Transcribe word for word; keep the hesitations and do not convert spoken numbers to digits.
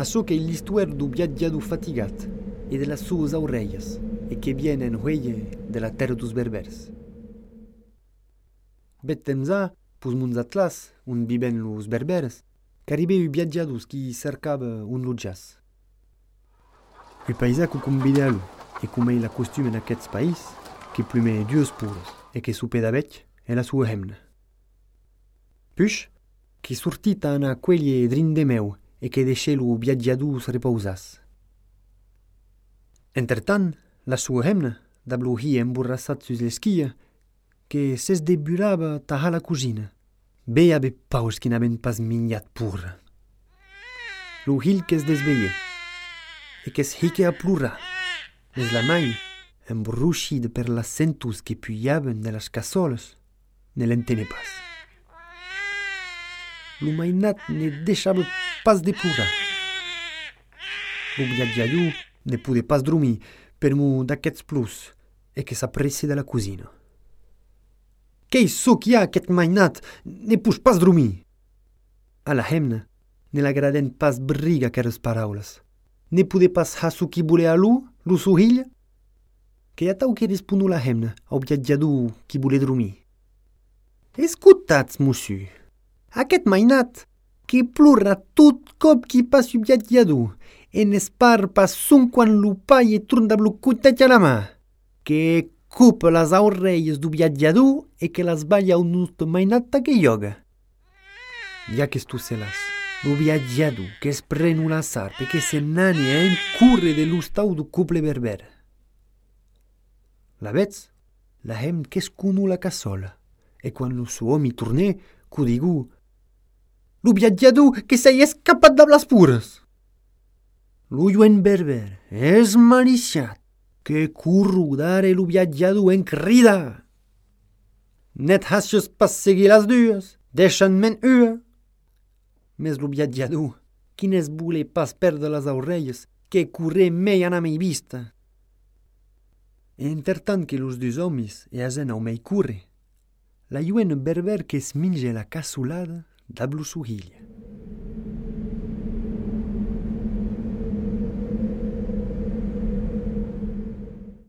Açò che l'istuer du viaggiado fatigat e de las suas orelhas e che viene en huelle de la terra dos berbers. Bet temps a, pus muns atlas, un viven los berbers, caribeu viaggiados qui cercava un loggias. Il paisaco convida a lu, e come la costume en aquests país, que plume dues puros e que supeda bec è la sua hemna. Puix, che sortita ana queglie drin de meu e che deixelu viaggiadus repausas. Entretant, la sua hemna, da bluhia emborrassat sus l'esquia, che ses deburava taha la cusina. Be abe paus che n'aben pas mignat pur. Lo hil che es desveie, e che es hique a plura, es la mai, embruscida per las centus che puiaven de las cassoles, ne l'entene pas. Lo mainat ne deixava pas de plura. Lo viaggiadu ne pude pas dormir per mu d'aquests plus e che s'apressi de la cusina. Qu'ei so qui ha aquest mainat, ne puix pas dormir. A la hemna, ne l'agraden pas briga aqueres paraules. Ne pude pas ha so qui vole a lu, lu suhiglia? Che atau che rispunu la hemna au viaggiadu qui vole dormir. Escutatz, monsieur, aquest mainat que plura tot cop qui pas su viaggiadu e n'espar pas sun quan lu pai e trunda blu cutet a la mà, que cupa las orelles du viaggiadu e che las balla un nut mainat che yoga. Ja che stu selas, lu viaggiadu che es prenu la sarpe che se nani e incurre de l'ustau du couple berber. La vez, la hem che scunu la cassola, e quando su omi tourné, cu digu, lu viaggiadu che sei escapat da las pures. Lu juen berber es maliciat, que curru dare lu viaggiadu en crida. Net hasches pas seguir las dues, deixan men ua. Mes lu viaggiadu, quines vule pas perdre las orelles, que curre mei ana mei vista. Intertant que los dus homis e asena o mei curre, la juen berber che sminge la cassulada da blu suhiglia.